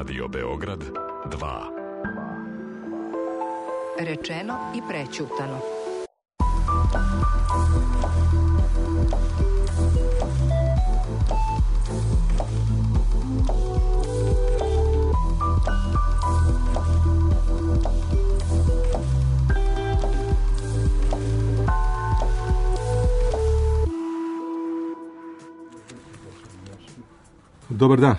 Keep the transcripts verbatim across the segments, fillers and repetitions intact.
Radio Beograd dva. Rečeno i prećutano. Dobar dan.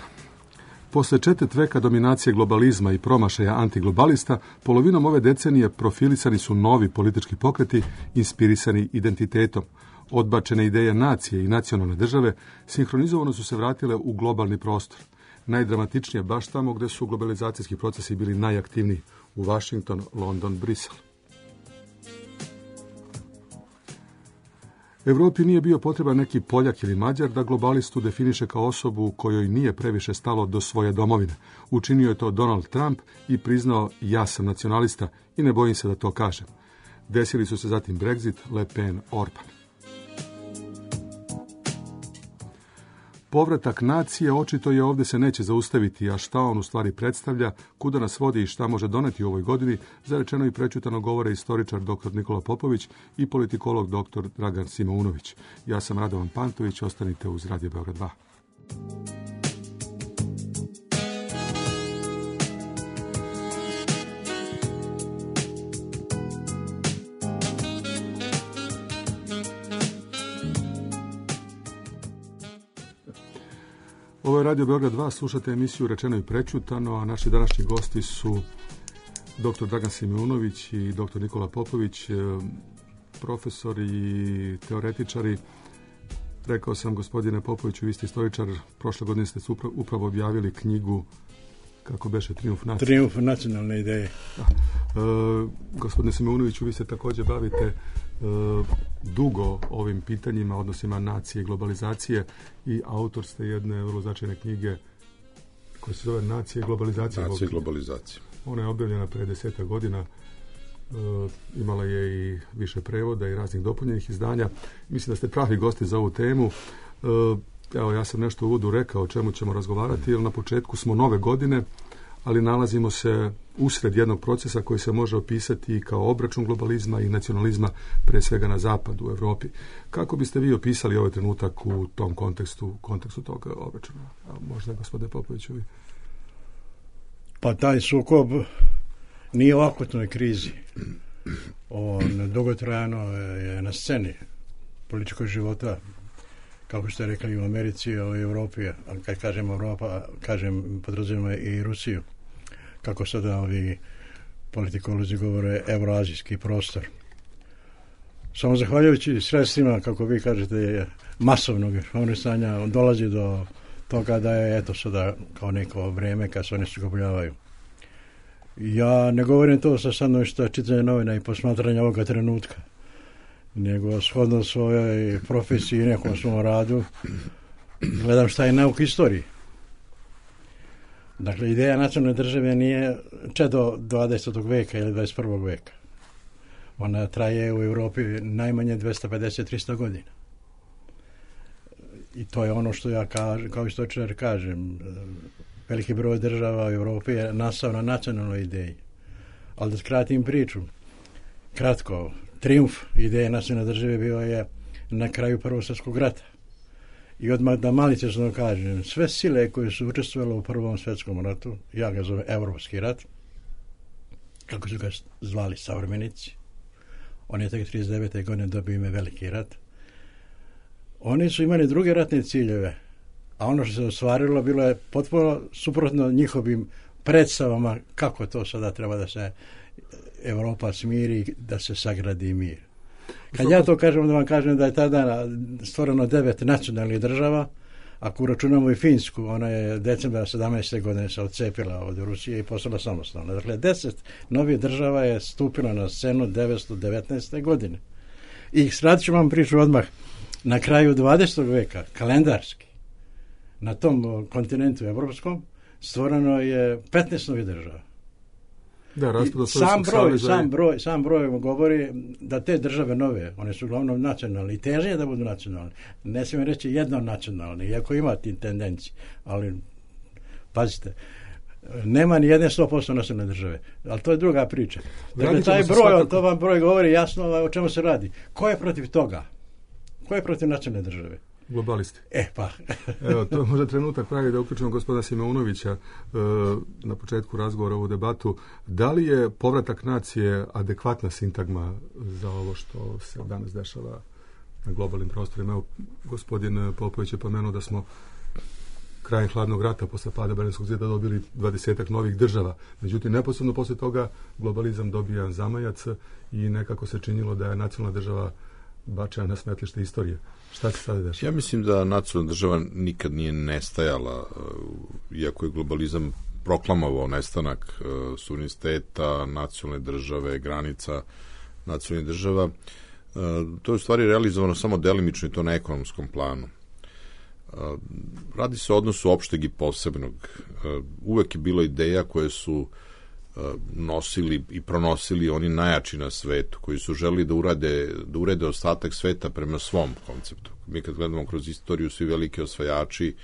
Posle četvrt veka dominacije globalizma i promašaja antiglobalista, polovinom ove decenije profilisani su novi politički pokreti inspirisani identitetom. Odbačene ideje nacije i nacionalne države sinhronizovano su se vratile u globalni prostor. Najdramatičnije baš tamo gde su globalizacijski procesi bili najaktivniji, u Washington, London, Brisel. Evropi nije bio potreban neki Poljak ili Mađar da globalistu definiše kao osobu kojoj nije previše stalo do svoje domovine. Učinio je to Donald Trump i priznao ja sam nacionalista i ne bojim se da to kažem. Desili su se zatim Brexit, Le Pen, Orban. Povratak nacije očito je ovdje se neće zaustaviti, a šta on u stvari predstavlja, kuda nas vodi i šta može doneti u ovoj godini, zarečeno i prećutano govore istoričar doktor Nikola Popović i politikolog doktor Dragan Simeunović. Ja sam Radovan Pantović, ostanite uz Radio Beograd dva. Ovo je Radio Beograd dva, slušate emisiju Rečeno i prećutano, a naši današnji gosti su doktor Dragan Simeunović i doktor Nikola Popović, profesori i teoretičari. Rekao sam, gospodine Popoviću, vi ste istoričar, prošle godine ste upravo objavili knjigu, kako beše, Trijumf nacije. Trijumf nacionalne ideje. Da. E, gospodine Simeunoviću, vi se također bavite e, dugo ovim pitanjima, odnosima nacije i globalizacije i autor ste jedne vrlo značajne knjige koja se zove Nacije i globalizacije. Nacije i globalizacije. Ona je objavljena pre desetak godina, e, imala je i više prevoda i raznih dopunjenih izdanja. Mislim da ste pravi gosti za ovu temu. E, evo, ja sam nešto u uvodu rekao o čemu ćemo razgovarati, jer na početku smo nove godine, ali nalazimo se usred jednog procesa koji se može opisati kao obračun globalizma i nacionalizma, pre svega na zapadu, u Evropi. Kako biste vi opisali ovaj trenutak u tom kontekstu, kontekstu tog obračuna? A možda, gospodine Popoviću, vi? Pa taj sukob nije u akutnoj krizi. On dugotrajno je na sceni političkog života, kako ste rekli, u Americi i u Evropi, a kad kažem Evropa, kažem, podrazumijemo i Rusiju. Kako sada ovi politikolozi govore, evroazijski prostor. Samo zahvaljujući sredstvima, kako vi kažete, masovnog informisanja, on dolazi do toga da je, eto, sada kao neko vrijeme kad se oni sukobljavaju. Ja ne govorim to sa stanovišta čitanja novina i posmatranja ovoga trenutka, nego shodno svojoj profesiji i nekom svom radu gledam šta je nauk istoriji. Dakle, ideja nacionalne države nije čedo dvadesetog veka ili dvadeset prvog veka. Ona traje u Europi najmanje dvesta pedeset do trista godina. I to je ono što ja kažem, kao istoričar kažem. Veliki broj država u Europi je nastao na nacionalnoj ideji. Ali da skratim priču, kratko, trijumf ideje nacionalne države bio je na kraju Prvog svjetskog rata. I odmah da maliciozno kažem, sve sile koje su učestvovale u Prvom svjetskom ratu, ja ga zovem Evropski rat, kako su ga zvali savremenici, on je tek trideset devete godine dobio ime Veliki rat, oni su imali druge ratne ciljeve, a ono što se ostvarilo bilo je potpuno suprotno njihovim predstavama kako to sada treba da se Evropa smiri, da se sagradi mir. Kad ja to kažem, da vam kažem da je tada stvoreno devet nacionalnih država, ako uračunamo i Finsku, ona je decembra sedamnaeste godine se odcepila od Rusije i postala samostalna. Dakle, deset novih država je stupilo na scenu devetsto devetnaeste godine. I skratit ću vam priču odmah. Na kraju dvadesetog veka, kalendarski, na tom kontinentu evropskom, stvoreno je petnaest novih država. Da, sam broj, sam broj, sam broj govori da te države nove, one su uglavnom nacionalne i teže da budu nacionalne. Ne smijem reći jedno nacionalne, iako ima ti tendencije, ali pazite, nema ni jedne sto posto nacionalne države. Ali to je druga priča. Dakle, taj broj, to vam broj govori jasno o čemu se radi. Ko je protiv toga? Ko je protiv nacionalne države? Globalisti. E, pa. Evo, to je možda trenutak pravi da uključimo gospodina Simeunovića e, na početku razgovora u debatu. Da li je povratak nacije adekvatna sintagma za ovo što se danas dešava na globalnim prostorima? Evo, gospodin Popović je pomenuo da smo krajem hladnog rata posle pada Berlinskog zida dobili dvadesetak novih država. Međutim, neposredno posle toga globalizam dobija zamajac i nekako se činilo da je nacionalna država bačena na smetlište istorije. Šta se sada dešava? Ja mislim da nacionalna država nikad nije nestajala, iako je globalizam proklamovao nestanak suvereniteta, nacionalne države, granica nacionalnih država. To je u stvari realizovano samo delimično i to na ekonomskom planu. Radi se o odnosu opšteg i posebnog. Uvek je bilo ideja koje su nosili i pronosili oni najjači na svetu, koji su želeli da urade, da urede ostatak sveta prema svom konceptu. Mi kad gledamo kroz istoriju, svi veliki osvajači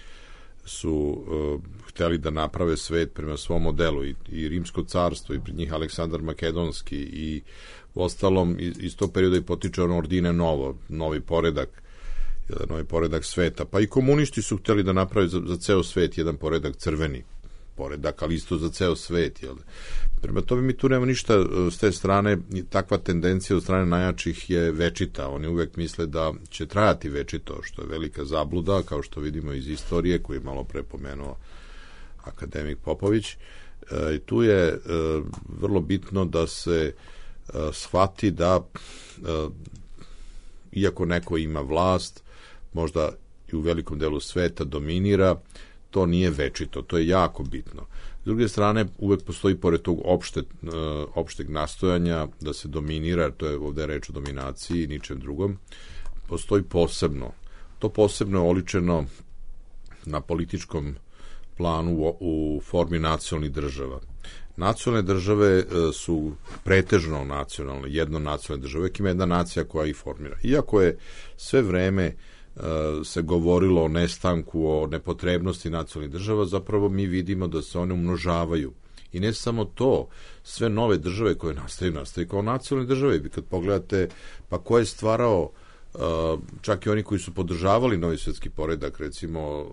su uh, hteli da naprave svet prema svom modelu i, i Rimsko carstvo i pred njih Aleksandar Makedonski i u ostalom iz, iz tog perioda i potiče ono ordine novo, novi poredak, jedan novi poredak sveta. Pa i komunisti su hteli da naprave za, za ceo svet jedan poredak crveni poredak, ali isto za ceo svet. Jel? Prema tome mi tu nema ništa s te strane, takva tendencija od strane najjačih je večita. Oni uvek misle da će trajati večito, što je velika zabluda, kao što vidimo iz istorije, koju je malo pre pomenuo akademik Popović. E, tu je e, vrlo bitno da se e, shvati da e, iako neko ima vlast, možda i u velikom delu sveta dominira, to nije večito, to je jako bitno. S druge strane, uvek postoji pored tog opšte, opšteg nastojanja da se dominira, to je ovde reč o dominaciji i ničem drugom, postoji posebno. To posebno je oličeno na političkom planu u, u formi nacionalnih država. Nacionalne države su pretežno nacionalne, jedno nacionalne države, uvek ima jedna nacija koja ih formira. Iako je sve vreme se govorilo o nestanku, o nepotrebnosti nacionalnih država, zapravo mi vidimo da se one umnožavaju. I ne samo to, sve nove države koje nastaju, nastaju kao nacionalne države. Vi kad pogledate, pa ko je stvarao, čak i oni koji su podržavali novi svjetski poredak, recimo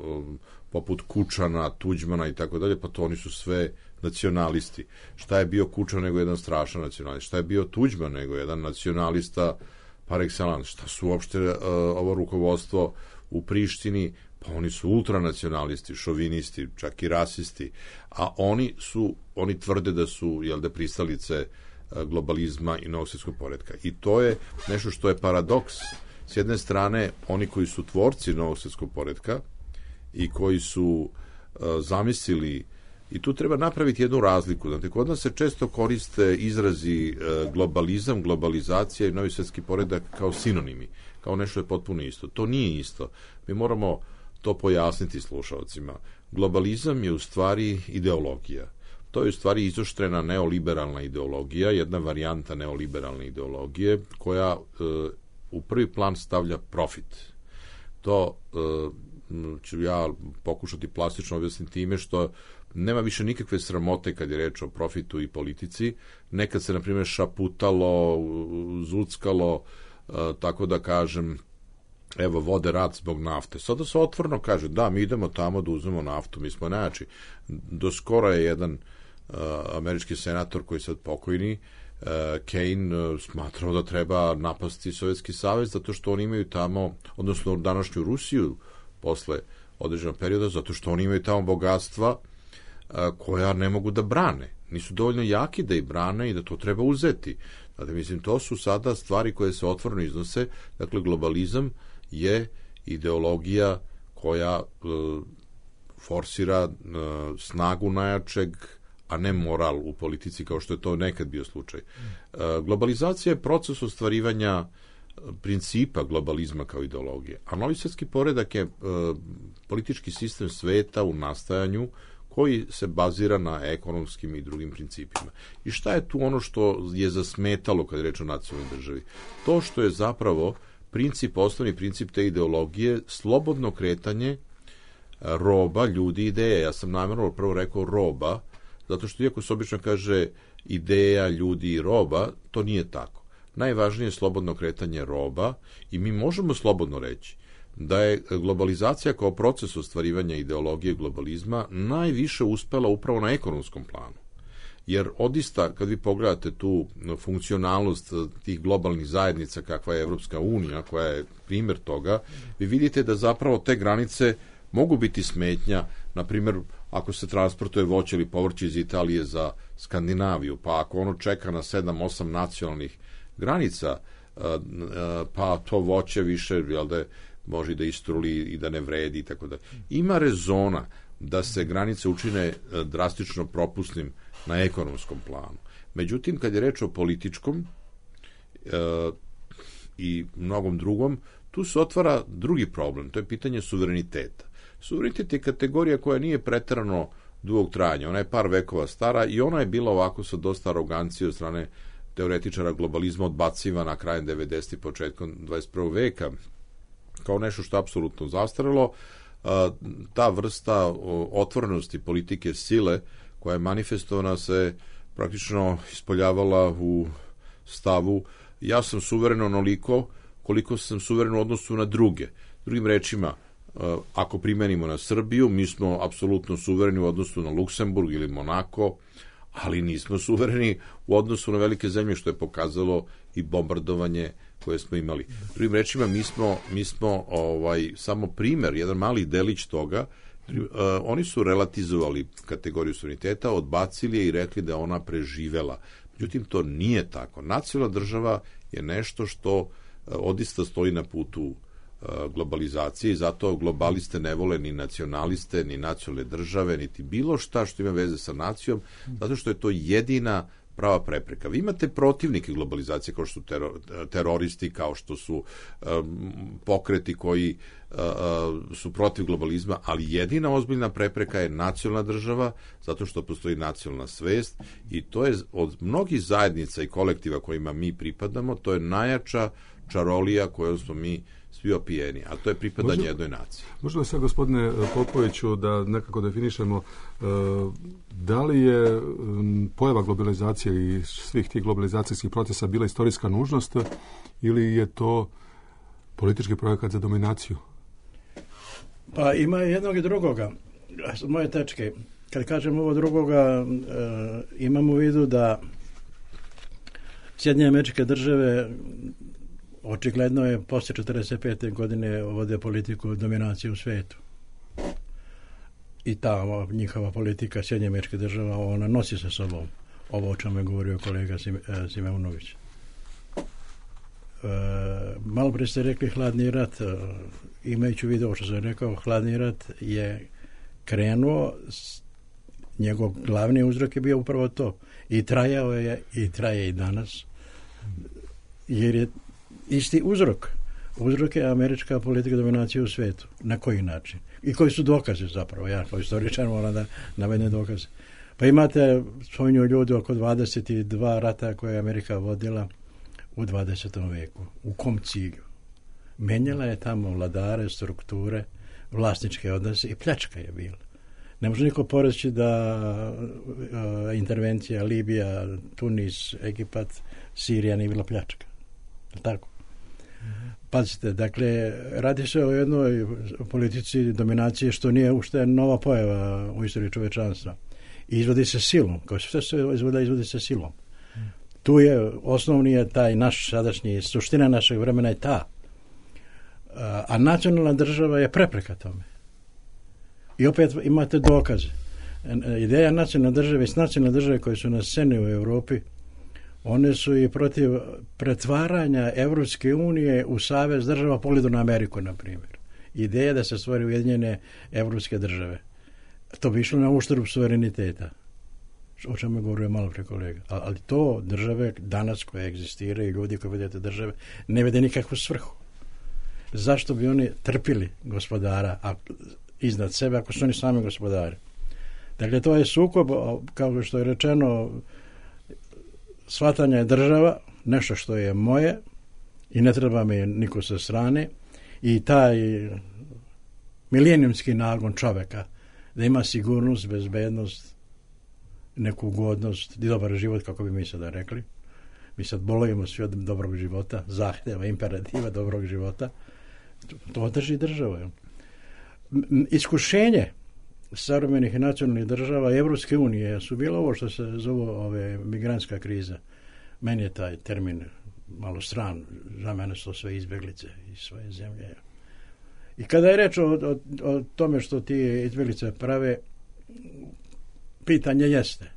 poput Kučana, Tuđmana i tako dalje, pa to oni su sve nacionalisti. Šta je bio Kučan nego jedan strašan nacionalista? Šta je bio Tuđman nego jedan nacionalista par excellence? Šta su uopšte uh, ovo rukovodstvo u Prištini? Pa oni su ultranacionalisti, šovinisti, čak i rasisti, a oni su, oni tvrde da su, jel da, pristalice uh, globalizma i novog svjetskog poretka. I to je nešto što je paradoks. S jedne strane, oni koji su tvorci novog svjetskog poretka i koji su uh, zamislili, i tu treba napraviti jednu razliku. Znate, kod nas se često koriste izrazi uh, globalizam, globalizacija i novi svjetski poredak kao sinonimi, kao nešto je potpuno isto. To nije isto. Mi moramo to pojasniti slušalcima. Globalizam je u stvari ideologija. To je u stvari izoštrena neoliberalna ideologija, jedna varijanta neoliberalne ideologije koja uh, u prvi plan stavlja profit. To uh, ću ja pokušati plastično objasniti time što nema više nikakve sramote kad je reč o profitu i politici. Nekad se, na primjer, šaputalo, zuckalo, uh, tako da kažem, evo, vode rat zbog nafte. Sada se otvoreno kaže, da, mi idemo tamo da uzmemo naftu, mi smo najjači. Do skoro je jedan uh, američki senator koji je sad pokojni, uh, Kane, uh, smatrao da treba napasti Sovjetski savez zato što oni imaju tamo, odnosno današnju Rusiju posle određenog perioda, zato što oni imaju tamo bogatstva uh, koja ne mogu da brane. Nisu dovoljno jaki da ih brane i da to treba uzeti. Dakle, mislim, to su sada stvari koje se otvoreno iznose. Dakle, globalizam je ideologija koja e, forsira e, snagu najjačeg, a ne moral u politici, kao što je to nekad bio slučaj. E, globalizacija je proces ostvarivanja principa globalizma kao ideologije, a novi svjetski poredak je e, politički sistem sveta u nastajanju koji se bazira na ekonomskim i drugim principima. I šta je tu ono što je zasmetalo kad je reč o nacionalnoj državi? To što je zapravo princip, osnovni princip te ideologije, slobodno kretanje roba, ljudi, ideje. Ja sam namjerno prvo rekao roba, Zato što iako se obično kaže ideja, ljudi i roba, to nije tako. Najvažnije je slobodno kretanje roba i mi možemo slobodno reći da je globalizacija kao proces ostvarivanja ideologije globalizma najviše uspela upravo na ekonomskom planu. Jer odista, kad vi pogledate tu funkcionalnost tih globalnih zajednica kakva je Evropska unija, koja je primjer toga, vi vidite da zapravo te granice mogu biti smetnja, na primjer, ako se transportuje voće ili povrće iz Italije za Skandinaviju, pa ako ono čeka na sedam osam nacionalnih granica, pa to voće više, jel da je, može da istruli i da ne vredi i tako da. Ima rezona da se granice učine drastično propusnim na ekonomskom planu. Međutim, kad je reč o političkom e, i mnogom drugom, tu se otvara drugi problem, to je pitanje suvereniteta. Suverenitet je kategorija koja nije preterano dugog trajanja, ona je par vekova stara i ona je bila ovako sa dosta arogancije od strane teoretičara globalizma odbacivana krajem devedesetih početkom dvadeset prvog veka kao nešto što je apsolutno zastarelo. Ta vrsta otvorenosti politike sile koja je manifestovana se praktično ispoljavala u stavu ja sam suveren onoliko koliko sam suveren u odnosu na druge. Drugim rečima, ako primenimo na Srbiju, mi smo apsolutno suvereni u odnosu na Luksemburg ili Monako, ali nismo suvereni u odnosu na velike zemlje, što je pokazalo i bombardovanje koje smo imali. Drugim rečima, mi smo, mi smo ovaj, samo primer, jedan mali delić toga. Uh, oni su relativizovali kategoriju suvereniteta, odbacili je i rekli da je ona preživela. Međutim, to nije tako. Nacionalna država je nešto što uh, odista stoji na putu uh, globalizacije i zato globaliste ne vole ni nacionaliste, ni nacionalne države, niti bilo šta što ima veze sa nacijom, zato što je to jedina prava prepreka. Vi imate protivnike globalizacije kao što su teror, teroristi, kao što su um, pokreti koji uh, su protiv globalizma, ali jedina ozbiljna prepreka je nacionalna država, zato što postoji nacionalna svest i to je od mnogih zajednica i kolektiva kojima mi pripadamo, to je najjača čarolija kojom smo mi svi opijeni, a to je pripadanje možda, jednoj naciji. Možda sad, gospodine Popoviću, da nekako definišemo uh, da li je um, pojava globalizacije i svih tih globalizacijskih procesa bila istorijska nužnost ili je to politički projekat za dominaciju? Pa ima jednog i drugoga. S moje tačke, kad kažem ovo drugoga, uh, imam u vidu da Sjedinjene Američke Države očigledno je posle četrdeset pete godine vode politiku dominacije u svetu. I ta njihova politika Sjedinjenih Američkih Država, ona nosi sa sobom ovo o čemu je govorio kolega Simeunović. E, malo pre ste rekli hladni rat. E, imajući u vidu što sam rekao, hladni rat je krenuo, njegov glavni uzrok je bio upravo to. I trajao je, i traje i danas, jer je isti uzrok. Uzrok je američka politika dominacije u svetu. Na koji način? I koji su dokaze zapravo? Ja kao istoričar moram da navedem dokaze. Pa imate, spominju ljudi, oko dvadeset dva rata koje je Amerika vodila u dvadesetom veku. U kom cilju? Menjala je tamo vladare, strukture, vlasničke odnose i pljačka je bila. Ne može niko poreći da uh, intervencija Libija, Tunis, Egipat, Sirija nije bila pljačka. Tako? Pazite, dakle, radi se o jednoj politici dominacije što nije ušte nova pojava u istoriji čovečanstva. I izvodi se silom, kao što se izvodi, izvodi se silom. Tu je, osnovni je taj naš sadašnji, suština našeg vremena je ta. A nacionalna država je prepreka tome. I opet imate dokaze. Ideja nacionalne države i nacionalne države koje su na sceni u Europi, one su i protiv pretvaranja Evropske unije u savez država pogledu na Ameriku, na primjer. Ideja da se stvori ujedinjene evropske države. To bi išlo na uštrb suvereniteta. O čemu je govorio malo pre kolega. Ali to države danas koje egzistiraju, ljudi koji vede te države, ne vede nikakvu svrhu. Zašto bi oni trpili gospodara a iznad sebe ako su oni sami gospodari? Dakle, to je sukob, kao što je rečeno, shvatanje je država, nešto što je moje i ne treba mi niko sa strane, i taj milenijumski nagon čoveka da ima sigurnost, bezbednost, neku ugodnost i dobar život, kako bi mi sada rekli. Mi sad bolujemo svi od dobrog života, zahtjeva, imperativa dobrog života. To drži država. Iskušenje savremenih nacionalnih država i Evropske unije su bilo ovo što se zove ove migrantska kriza. Meni je taj termin malo stran, za mene su to sve izbjeglice iz svoje zemlje. I kada je reč o, o, o tome što ti izbjeglice prave, pitanje jeste.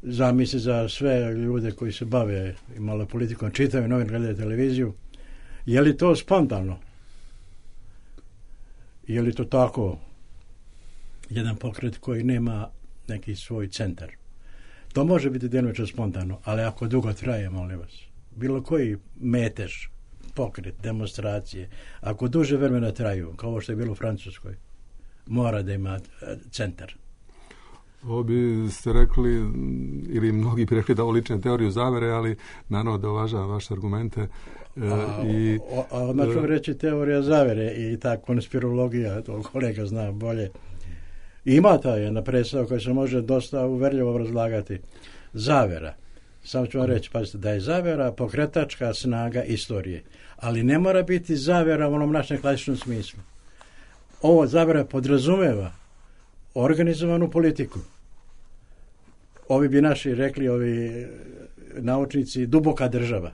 Za misli za sve ljude koji se bave i malo politikom, čitaju novine, gledaju televiziju, je li to spontano? Je li to tako jedan pokret koji nema neki svoj centar? To može biti djelomično spontano, ali ako dugo traje, molim vas, bilo koji metež, pokret, demonstracije, ako duže vremena traju, kao ovo što je bilo u Francuskoj, mora da ima centar. Ovo bi ste rekli, ili mnogi bi rekli da ovo liči na teoriju zavere, ali naravno da uvažavam vaše argumente. A, i, a odmah ću reći teorija zavere i ta konspirologija, to kolega zna bolje. Ima ta jedna predstava koja se može dosta uverljivo obrazlagati. Zavera. Samo ću vam reći, pazite, da je zavera pokretačka snaga istorije, ali ne mora biti zavera u onom našem klasičnom smislu. Ovo zavera podrazumeva organizovanu politiku. Ovi bi naši rekli, ovi naučnici, duboka država.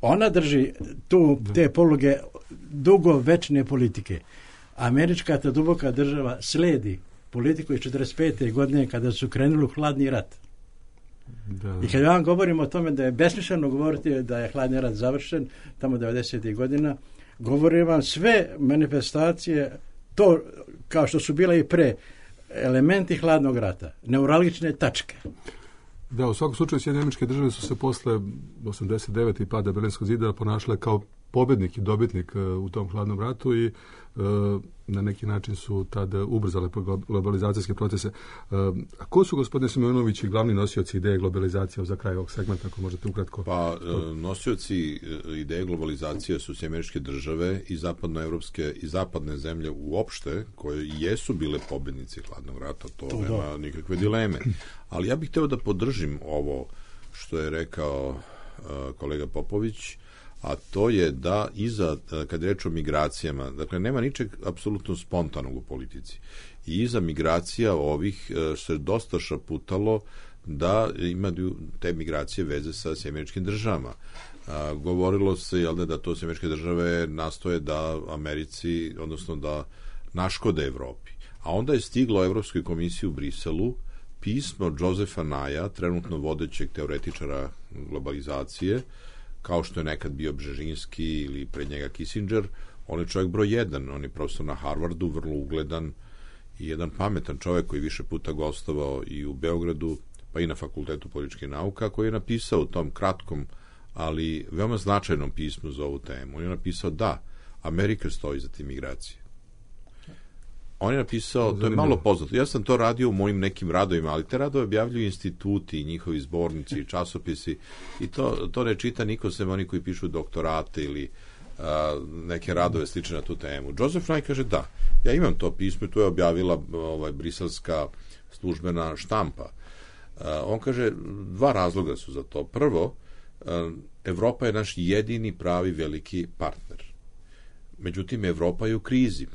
Ona drži tu te poluge dugo večne politike. Američka ta duboka država sledi politiku iz četrdeset pete godine kada su krenuli u hladni rat. Da. I kad ja vam govorim o tome da je besmisleno govoriti da je hladni rat završen, tamo devedesetih godina, govorim vam sve manifestacije, to kao što su bile i pre, elementi hladnog rata, neuralgične tačke. Da, u svakom slučaju Sjedinjene Američke Države su se posle osamdeset devete i pada Berlinskog zida ponašale kao pobednik i dobitnik u tom hladnom ratu i na neki način su tada ubrzale globalizacijske procese. A ko su, gospodine Simonović, glavni nosioci ideje globalizacije za kraj ovog segmenta, ako možete ukratko? Pa, nosioci ideje globalizacije su Sjedinjene Američke Države i zapadnoevropske i zapadne zemlje uopšte, koje jesu bile pobednici hladnog rata, to to nema da. nikakve dileme. Ali ja bih hteo da podržim ovo što je rekao uh, kolega Popović, a to je da iza, kad je reč o migracijama, dakle, nema ničeg apsolutno spontanog u politici. I iza migracija ovih se dosta šaputalo da imaju te migracije veze sa Sjedinjenim Američkim Državama. A, govorilo se, jel da, da to Sjedinjene Američke Države nastoje da Americi, odnosno da naškode Evropi. A onda je stiglo Evropskoj komisiji u Briselu pismo Josefa Naja, trenutno vodećeg teoretičara globalizacije, kao što je nekad bio Bžežinski ili pred njega Kissinger. On je čovjek broj jedan, on je profesor na Harvardu, vrlo ugledan i jedan pametan čovjek koji više puta gostovao i u Beogradu, pa i na Fakultetu političkih nauka, koji je napisao u tom kratkom, ali veoma značajnom pismu za ovu temu. On je napisao da Amerika stoji za te migracije. On je napisao, to je malo poznato, ja sam to radio u mojim nekim radovima, ali te radove objavljuju instituti i njihovi zbornici i časopisi i to, to ne čita niko sem oni koji pišu doktorate ili a, neke radove slične na tu temu. Joseph Nye kaže da, ja imam to pismo i to je objavila ovaj, briselska službena štampa. A, on kaže, dva razloga su za to. Prvo, a, Evropa je naš jedini pravi veliki partner. Međutim, Evropa je u krizi.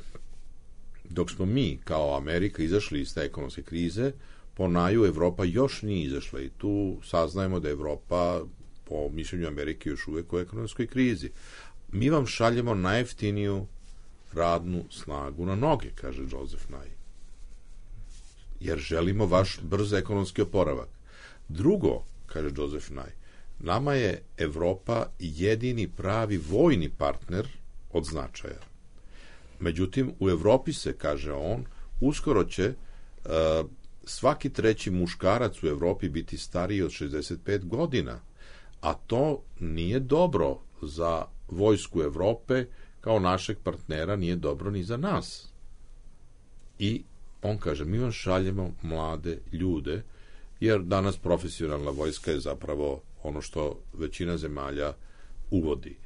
Dok smo mi, kao Amerika, izašli iz te ekonomske krize, po Naju Evropa još nije izašla i tu saznajemo da je Evropa, po mišljenju Amerike, još uvek u ekonomskoj krizi. Mi vam šaljemo najjeftiniju radnu snagu na noge, kaže Joseph Nye. Jer želimo vaš brz ekonomski oporavak. Drugo, kaže Joseph Nye, nama je Evropa jedini pravi vojni partner od značaja. Međutim, u Evropi se, kaže on, uskoro će uh, svaki treći muškarac u Evropi biti stariji od šezdeset pet godina, a to nije dobro za vojsku Evrope, kao našeg partnera, nije dobro ni za nas. I on kaže, mi vam šaljemo mlade ljude, jer danas profesionalna vojska je zapravo ono što većina zemalja uvodi.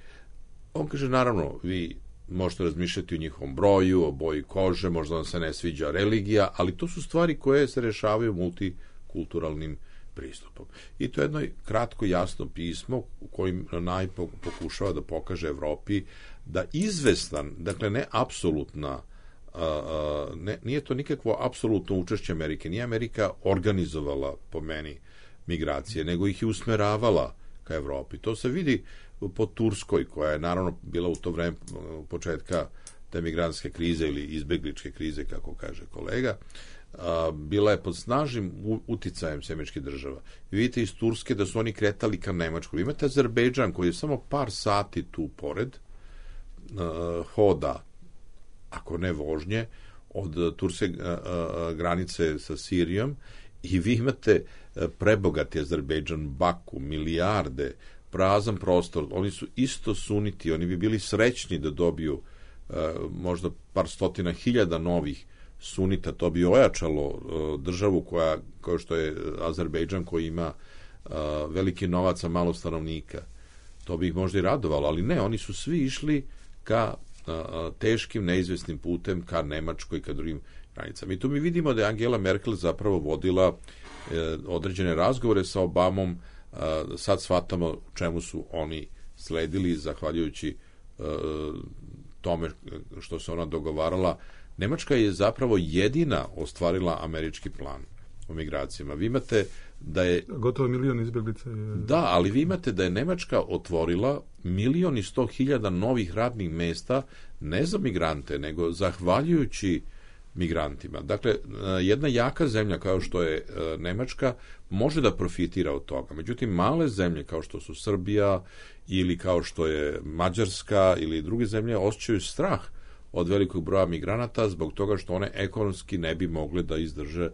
On kaže, naravno, vi možete razmišljati o njihovom broju, o boji kože, možda vam se ne sviđa religija, ali to su stvari koje se rešavaju multikulturalnim pristupom. I to je jedno kratko jasno pismo u kojim Naj pokušava da pokaže Evropi da izvestan, dakle ne apsolutna, ne, nije to nikakvo apsolutno učešće Amerike, nije Amerika organizovala po meni migracije, nego ih je usmeravala ka Evropi. To se vidi po Turskoj, koja je naravno bila u to vreme početka te migrantske krize ili izbegličke krize, kako kaže kolega, a, bila je pod snažnim uticajem američkih država. I vidite iz Turske da su oni kretali ka Nemačkoj. Imate Azerbejdžan koji je samo par sati tu pored, a, hoda, ako ne vožnje, od turske a, a, granice sa Sirijom, i vi imate prebogati Azerbejdžan, Baku, milijarde, prazan prostor, oni su isto suniti, oni bi bili srećni da dobiju uh, možda par stotina hiljada novih sunita, to bi ojačalo uh, državu koja, kao što je Azerbejdžan, koji ima uh, veliki novac, a malo stanovnika. To bi ih možda i radovalo, ali ne, oni su svi išli ka uh, teškim, neizvesnim putem, ka Nemačkoj, ka drugim granicama. I tu mi vidimo da je Angela Merkel zapravo vodila uh, određene razgovore sa Obamom. Uh, sad shvatamo čemu su oni sledili, zahvaljujući uh, tome što se ona dogovarala. Nemačka je zapravo jedina ostvarila američki plan o migracijama. Vi imate da je... Gotovo milion izbjeglica je... Da, ali vi imate da je Nemačka otvorila milion i sto hiljada novih radnih mesta, ne za migrante, nego zahvaljujući migrantima. Dakle, jedna jaka zemlja kao što je Nemačka može da profitira od toga. Međutim, male zemlje kao što su Srbija ili kao što je Mađarska ili druge zemlje osjećaju strah od velikog broja migranata zbog toga što one ekonomski ne bi mogle da izdrže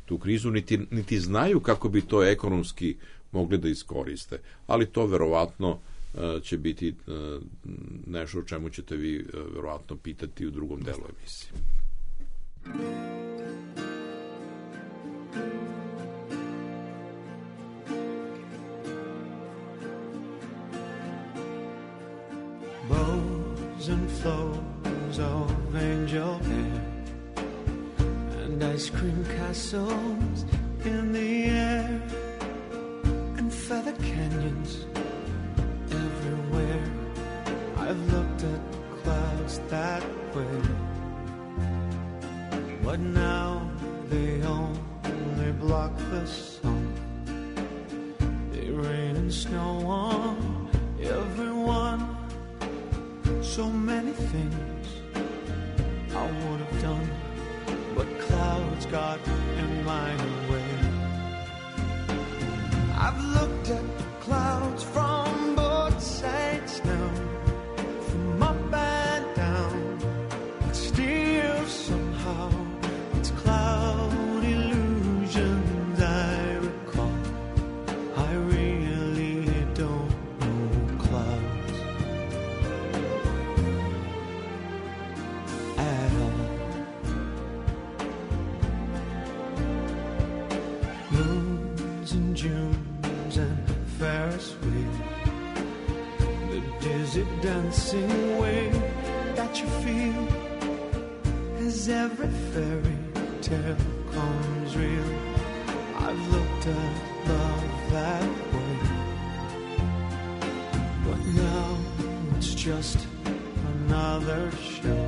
tu krizu, niti, niti znaju kako bi to ekonomski mogli da iskoriste. Ali to verovatno će biti nešto o čemu ćete vi verovatno pitati u drugom delu emisije. Bows and flows of angel hair and ice cream castles in the air and feather canyons everywhere. I've looked at clouds that way, but now they only block the sun. They rain and snow on everyone. So many things I would have done, but clouds got in my way. I've looked at clouds from both sides now, from up and down, but still somehow it's cloud illusions I recall. I really don't know clouds at all. Moons and Junes and Ferris wheel, the dizzy dancing way that you feel as every fairy tale comes real. I've looked at love that way, but now it's just another show.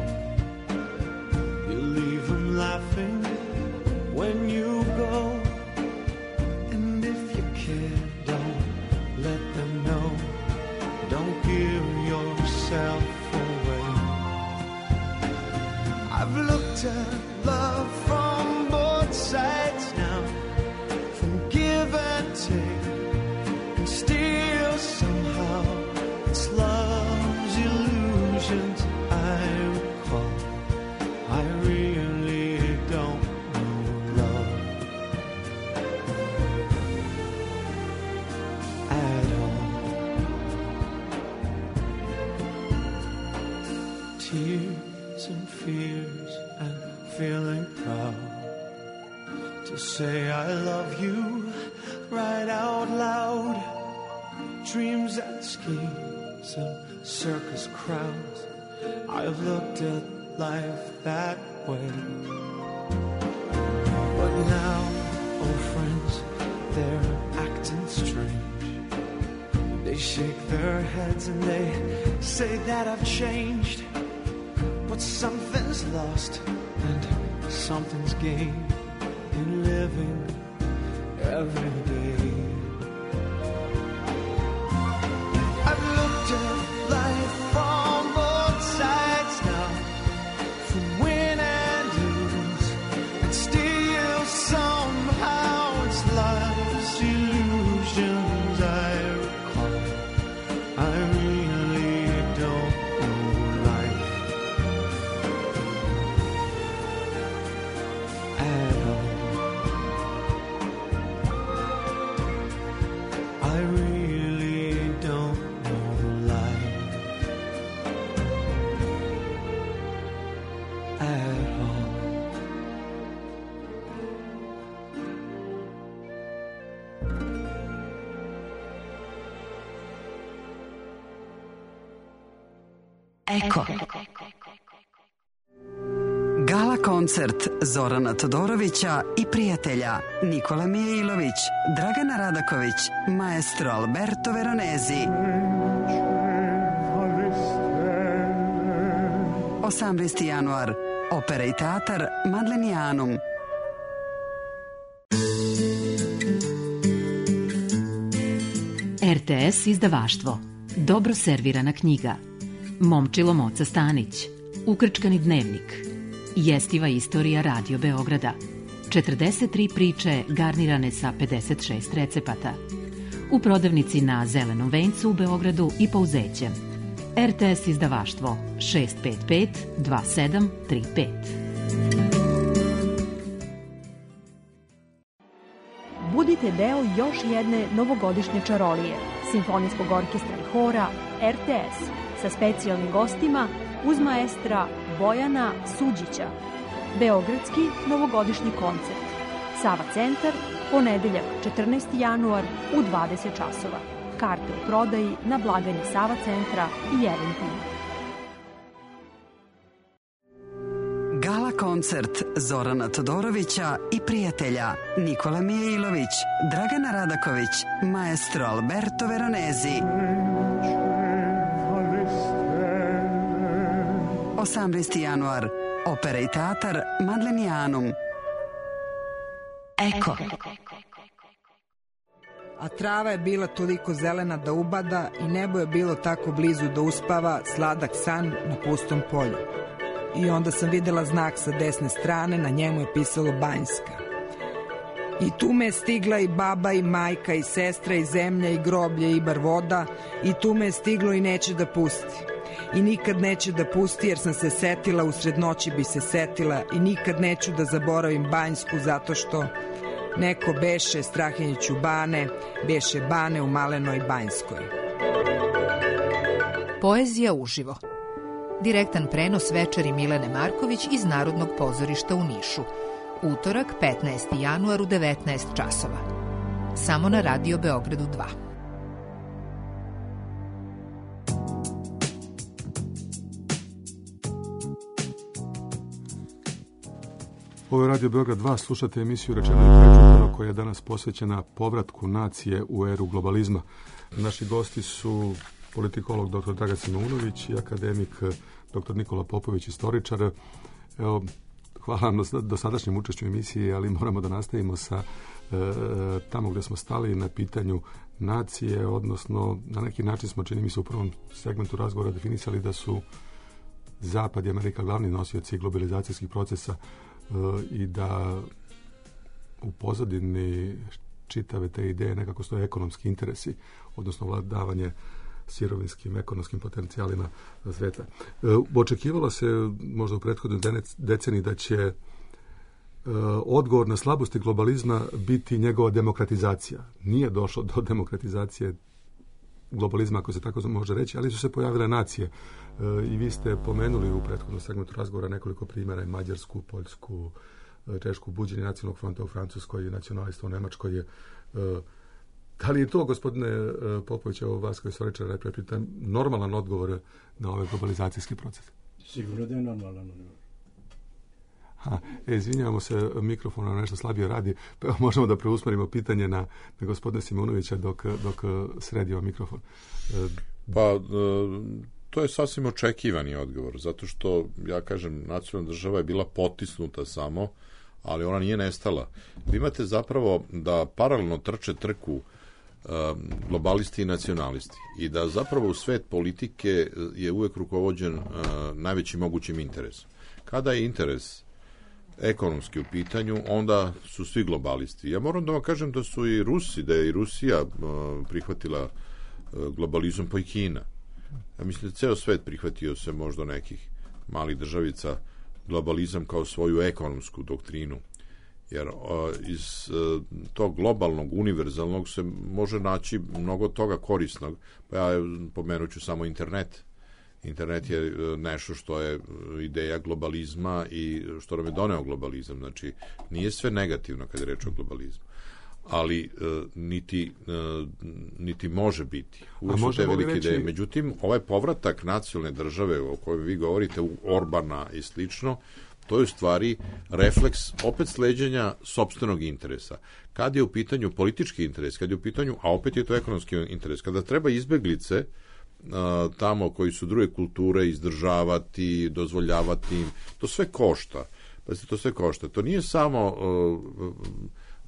You leave them laughing when you go, and if you care, don't let them know. Don't give yourself away. I've looked at love from both sides now, from give and take, and still somehow it's love's illusions I recall. I really don't know love at all. Tears and fears and feeling proud to say I love you right out loud. Dreams and schemes and circus crowds I've looked at life that way. But now, old friends, they're acting strange. They shake their heads and they say that I've changed. But something's lost and something's gained in living every day. I've looked at life from both sides now, from win and lose, and still somehow it's life's illusions I recall. I really don't know life at all. I really don't know life at all. Eko. Gala koncert Zorana Todorovića i prijatelja Nikola Mijailović, Dragana Radaković, maestro Alberto Veronesi. osamnaesti januar, Opera i teatar Madlenianum. R T S izdavaštvo. Dobro servirana knjiga. Momčilo Moca Stanić. Ukrčkani dnevnik. Jestiva istorija Radio Beograda. četrdeset tri priče garnirane sa pedeset šest recepata. U prodavnici na Zelenom vencu u Beogradu i Pouzećem. R T S izdavaštvo šest pet pet dva sedam tri pet. Budite deo još jedne novogodišnje čarolije Simfonijskog orkestra i hora R T S sa specijalnim gostima uz maestra Bojana Suđića. Beogradski novogodišnji koncert. Sava centar, ponedeljak četrnaesti januar u dvadeset časova. Karte u prodaji na blagajni Sava centra i Eventim. Gala koncert Zorana Todorovića i prijatelja Nikola Mijailović, Dragana Radaković, maestro Alberto Veronesi. osamnaesti januar, Opera i teatar Madlenianum. Eko. A trava je bila toliko zelena da ubada i nebo je bilo tako blizu da uspava sladak san na pustom polju. I onda sam videla znak sa desne strane, na njemu je pisalo Banjska. I tu me je stigla i baba i majka i sestra i zemlja i groblje i bar voda, i tu me je stiglo i neće da pusti. I nikad neće da pusti jer sam se setila, usred noći bi se setila, i nikad neću da zaboravim Banjsku zato što neko beše Strahinjiću bane, beše bane u Malenoj Banjskoj. Poezija uživo. Direktan prenos večeri Milene Marković iz Narodnog pozorišta u Nišu. Utorak, petnaesti januar u devetnaest časova. Samo na Radio Beogradu dva. Ovo je Radio Beograd dva, slušate emisiju Rečeno i prečutano koja je danas posvećena povratku nacije u eru globalizma. Naši gosti su politikolog doktor Dragan Simeunović i akademik doktor Nikola Popović, istoričar. Evo, hvala vam na dosadašnjem učešću u emisiji, ali moramo da nastavimo sa e, tamo gde smo stali na pitanju nacije, odnosno na neki način smo, čini mi se, u prvom segmentu razgovora definisali da su Zapad i Amerika glavni nosioci globalizacijskih procesa e, i da u pozadini čitave te ideje nekako stoje ekonomski interesi, odnosno vladavanje sirovinskim, ekonomskim potencijalima sveta. E, očekivalo se možda u prethodnoj deceniji da će e, odgovor na slabosti globalizma biti njegova demokratizacija. Nije došlo do demokratizacije globalizma, ako se tako može reći, ali su se pojavile nacije. E, I vi ste pomenuli u prethodnom segmentu razgovora nekoliko primjera, Mađarsku, Poljsku, Češku, buđenje nacionalnog fronta u Francuskoj, nacionalista u Nemačkoj je. E, Da li je to, gospodine Popović, ovo vas koji istoričar reprepita, normalan odgovor na ovaj globalizacijski proces? Sigurno da je normalan odgovor. Ha, e, izvinjavamo se, mikrofon nam nešto slabije radi, pa možemo da preusmerimo pitanje na, na gospodina Simonovića dok, dok sredimo mikrofon. E, pa, to je sasvim očekivani odgovor, zato što, ja kažem, nacionalna država je bila potisnuta samo, ali ona nije nestala. Vi imate zapravo da paralelno trče trku globalisti i nacionalisti i da zapravo u svet politike je uvek rukovođen uh, najvećim mogućim interesom. Kada je interes ekonomski u pitanju, onda su svi globalisti. Ja moram da vam kažem da su i Rusi, da je i Rusija uh, prihvatila uh, globalizam, pa i Kina. Ja mislim da ceo svet prihvatio se možda nekih malih državica globalizam kao svoju ekonomsku doktrinu. Jer uh, iz uh, tog globalnog, univerzalnog se može naći mnogo toga korisnog. Pa ja pomenut ću samo internet. Internet je uh, nešto što je ideja globalizma i što nam je doneo globalizam. Znači, nije sve negativno kad je reč o globalizmu. Ali uh, niti, uh, niti može biti. Uvijek su te velike reći... ideje. Međutim, ovaj povratak nacionalne države o kojoj vi govorite, u Orbana i slično, to je u stvari refleks opet sleđenja sopstvenog interesa. Kad je u pitanju politički interes, kad je u pitanju, a opet je to ekonomski interes, kada treba izbeglice a, tamo koji su druge kulture izdržavati, dozvoljavati im, to sve košta. Pa se to sve košta. To nije samo a,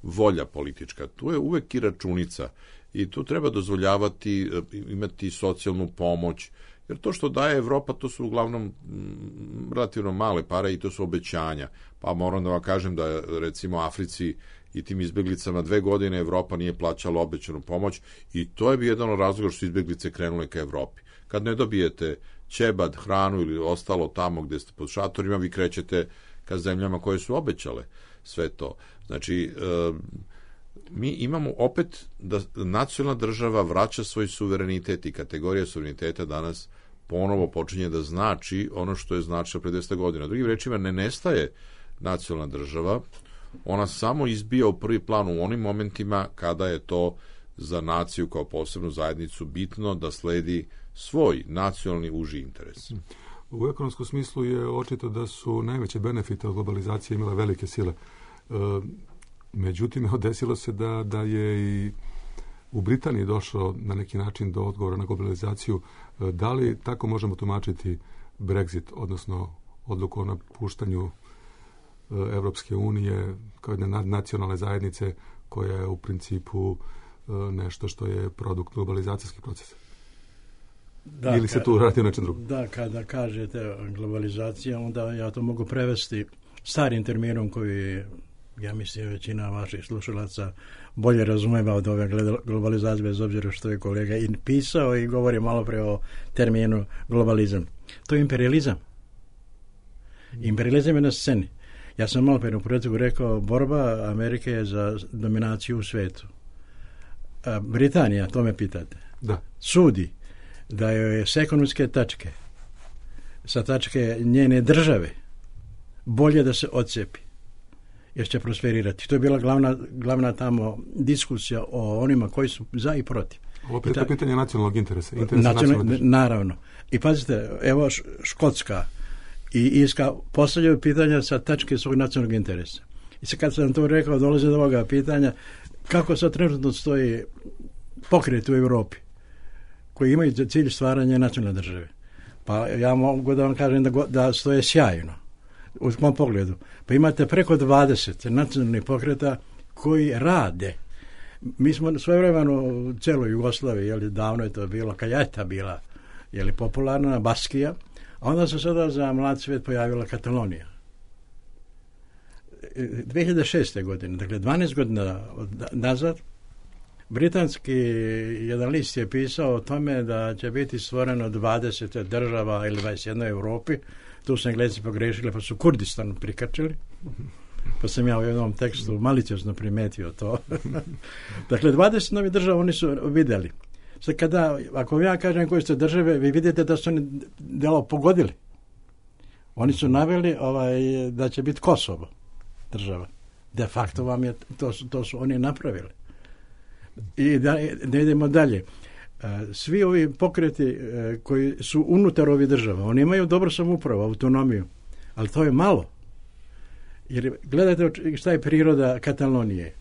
volja politička, tu je uvek i računica i tu treba dozvoljavati, imati socijalnu pomoć. Jer to što daje Evropa, to su uglavnom m, relativno male pare i to su obećanja. Pa moram da vam kažem da recimo Africi i tim izbeglicama dve godine Evropa nije plaćala obećanu pomoć i to je bi jedan od razloga što su izbeglice krenule ka Evropi. Kad ne dobijete ćebad, hranu ili ostalo tamo gde ste pod šatorima, vi krećete ka zemljama koje su obećale sve to. Znači, e, mi imamo opet da nacionalna država vraća svoj suverenitet i kategorija suvereniteta danas ponovo počinje da znači ono što je značilo pre dvesta godina. Drugim rečima, ne nestaje nacionalna država, ona samo izbija u prvi plan u onim momentima kada je to za naciju kao posebnu zajednicu bitno da sledi svoj nacionalni uži interes. U ekonomskom smislu je očito da su najveće benefite od globalizacije imale velike sile. E, Međutim, desilo se da, da je i u Britaniji došlo na neki način do odgovora na globalizaciju. Da li tako možemo tumačiti Brexit, odnosno odluku o napuštanju Evropske unije kao jedne nacionalne zajednice koja je u principu nešto što je produkt globalizacijskih procesa? Da, ili se tu radi o nečem drugom? Da, kada kažete globalizacija, onda ja to mogu prevesti starim terminom koji, ja mislim, većina vaših slušalaca bolje razumeva od ove globalizacije, bez obzira što je kolega i pisao i govori malo pre o terminu globalizam. To je imperializam. Imperializam je na sceni. Ja sam malo pre u početku rekao, borba Amerike je za dominaciju u svetu. A Britanija, to me pitate, da. Sudi da je s ekonomske tačke, sa tačke njene države, bolje da se odcepi, jer će prosperirati. To je bila glavna, glavna tamo diskusija o onima koji su za i protiv. Ovo je ta, pitanje nacionalnog interesa. interesa nacionalnog, naravno. I pazite, evo Škotska i Irska postavljaju pitanja sa tačke svog nacionalnog interesa. I sad kad sam to rekao, dolaze do ovoga pitanja, kako sad trenutno stoji pokret u Evropi koji imaju cilj stvaranja nacionalne države. Pa ja mogu da vam kažem da, da stoje sjajno u mom pogledu. Pa imate preko dvadeset nacionalnih pokreta koji rade. Mi smo svojevremeno u celoj Jugoslaviji, jeli, davno je to bilo, Kaljeta bila, jeli, popularna, Baskija, a onda se sada za mlad svijet pojavila Katalonija. dve hiljade šeste. godine, dakle dvanaest godina nazad, britanski jedan list je pisao o tome da će biti stvoreno dvadeset država ili dvadeset jedna u Evropi. Tu su Englezi pogrešili, pa su Kurdistan prikačili. Pa sam ja u jednom tekstu maliciozno primetio to. Dakle, dvadeset novih država oni su vidjeli. Sad kada, ako ja kažem koje su države, vi vidite da su oni delo pogodili. Oni su naveli ovaj, da će biti Kosovo država. De facto vam je, to, to su oni napravili. I da ne idemo dalje. Svi ovi pokreti koji su unutar ovih država, oni imaju dobro samoupravu, autonomiju, ali to je malo. Jer gledajte šta je priroda Katalonije.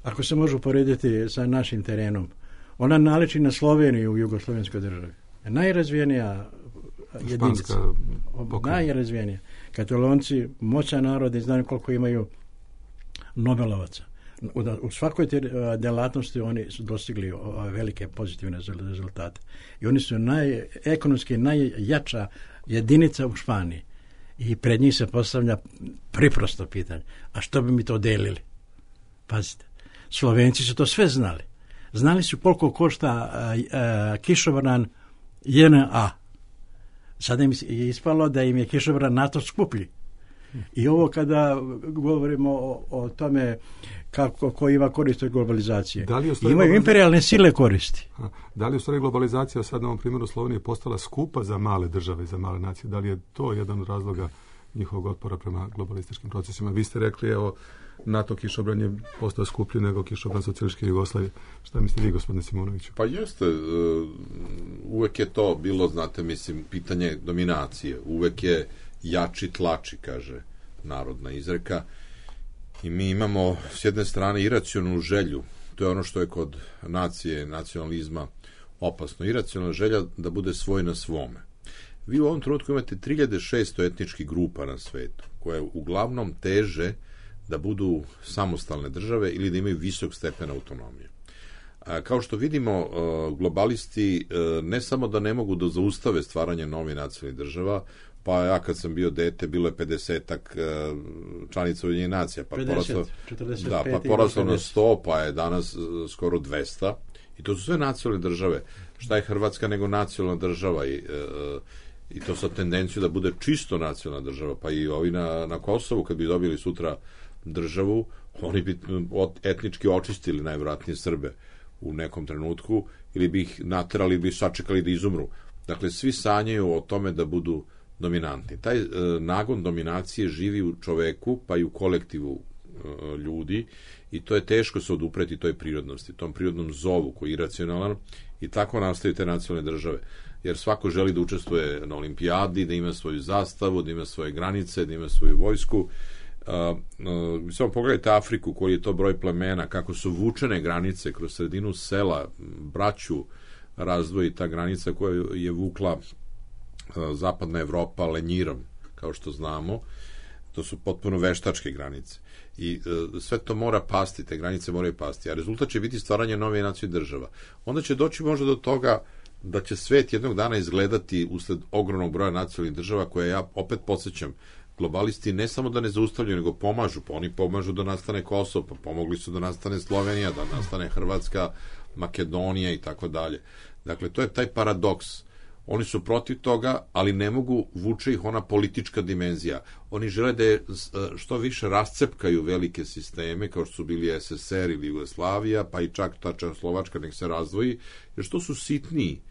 Ako se može uporediti sa našim terenom, ona naliči na Sloveniju u jugoslovenskoj državi. Najrazvijenija jedinica. Najrazvijenija. Katalonci, moćan narod, i znaju koliko imaju Nobelovaca. U, u svakoj te delatnosti oni su dostigli velike pozitivne rezultate. I oni su naj, ekonomski najjača jedinica u Španiji. I pred njih se postavlja priprosto pitanje. A što bi mi to delili? Pazite. Slovenci su to sve znali. Znali su koliko košta a, a, kišobran J N A. Sada im je ispalo da im je kišobran NATO skuplji. I ovo kada govorimo o, o tome kako, ko ima koristi od globalizacije. Da li imaju globalizacija... imperijalne sile koristi. A, da li u stvari globalizacija sad na ovom primjeru Slovenije postala skupa za male države, za male nacije? Da li je to jedan od razloga njihovog otpora prema globalističkim procesima? Vi ste rekli, evo, NATO kišobran je postao skuplji nego kišobran socijalističke Jugoslavije. Šta mislite vi, gospodine Simonoviću? Pa jeste, uvek je to bilo, znate, mislim, pitanje dominacije. Uvek je jači tlači, kaže narodna izreka. I mi imamo s jedne strane iracionalnu želju, to je ono što je kod nacije, nacionalizma opasno, iracionalna želja da bude svoj na svome. Vi u ovom trenutku imate tri hiljade šesto etničkih grupa na svetu, koje uglavnom teže da budu samostalne države ili da imaju visok stepen autonomije. Kao što vidimo, globalisti ne samo da ne mogu da zaustave stvaranje novih nacionalnih država, pa ja kad sam bio dete, bilo je pedesetak članica Ujedinjenih nacija, pa poraslo, da, pa poraslo na sto, pa je danas skoro dvesta, i to su sve nacionalne države. Šta je Hrvatska nego nacionalna država, i, i to sa tendencijom da bude čisto nacionalna država, pa i ovi na, na Kosovu, kad bi dobili sutra državu, oni bi etnički očistili najvjerojatnije Srbe u nekom trenutku, ili bi ih naterali, ili bi sačekali da izumru. Dakle, svi sanjaju o tome da budu dominantni. Taj e, nagon dominacije živi u čoveku, pa i u kolektivu e, ljudi, i to je teško se odupreti toj prirodnosti, tom prirodnom zovu koji je iracionalan, i tako nastaju te nacionalne države. Jer svako želi da učestvuje na olimpijadi, da ima svoju zastavu, da ima svoje granice, da ima svoju vojsku. Uh, uh, samo pogledajte Afriku, koji je to broj plemena, kako su vučene granice kroz sredinu sela, braću razdvoji ta granica koja je vukla uh, zapadna Evropa lenjirom, kao što znamo. To su potpuno veštačke granice. I uh, sve to mora pasti, te granice moraju pasti, a rezultat će biti stvaranje nove nacionalne država. Onda će doći možda do toga da će svet jednog dana izgledati usled ogromnog broja nacionalnih država, koje ja opet podsjećam, globalisti ne samo da ne zaustavljaju, nego pomažu, pa oni pomažu da nastane Kosovo, pa pomogli su da nastane Slovenija, da nastane Hrvatska, Makedonija i tako dalje. Dakle, to je taj paradoks. Oni su protiv toga, ali ne mogu, vuče ih ona politička dimenzija. Oni žele da je što više rascepkaju velike sisteme, kao što su bili S S R ili Jugoslavija, pa i čak ta Čehoslovačka nek se razdvoji, jer što su sitniji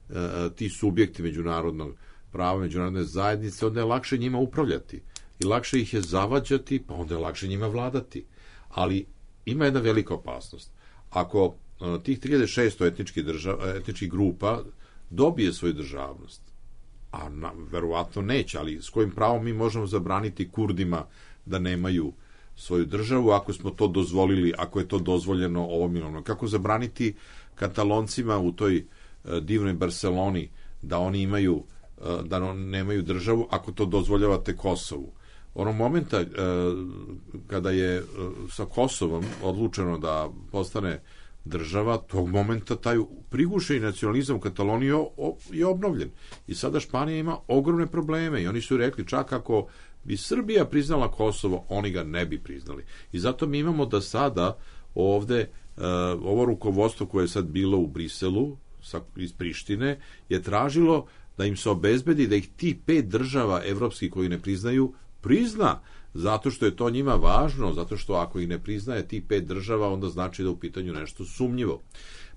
uh, ti subjekti međunarodnog prava, međunarodne zajednice, onda je lakše njima upravljati i lakše ih je zavađati, pa onda je lakše njima vladati. Ali ima jedna velika opasnost. Ako uh, tih tri hiljade šesto etničkih, država, etničkih grupa dobije svoju državnost, a na, verovatno neće, ali s kojim pravom mi možemo zabraniti Kurdima da nemaju svoju državu, ako smo to dozvolili, ako je to dozvoljeno ovom ili onom. Kako zabraniti Kataloncima u toj uh, divnoj Barceloni da oni imaju, uh, da on, nemaju državu, ako to dozvoljavate Kosovu. Onog momenta uh, kada je uh, sa Kosovom odlučeno da postane država, tog momenta taj prigušeni nacionalizam u Kataloniji je obnovljen. I sada Španija ima ogromne probleme i oni su rekli, čak ako bi Srbija priznala Kosovo, oni ga ne bi priznali. I zato mi imamo da sada ovde uh, ovo rukovodstvo koje je sad bilo u Briselu sa, iz Prištine je tražilo da im se obezbedi da ih ti pet država evropskih koji ne priznaju prizna, zato što je to njima važno, zato što ako ih ne priznaje tih pet država, onda znači da u pitanju nešto sumnjivo.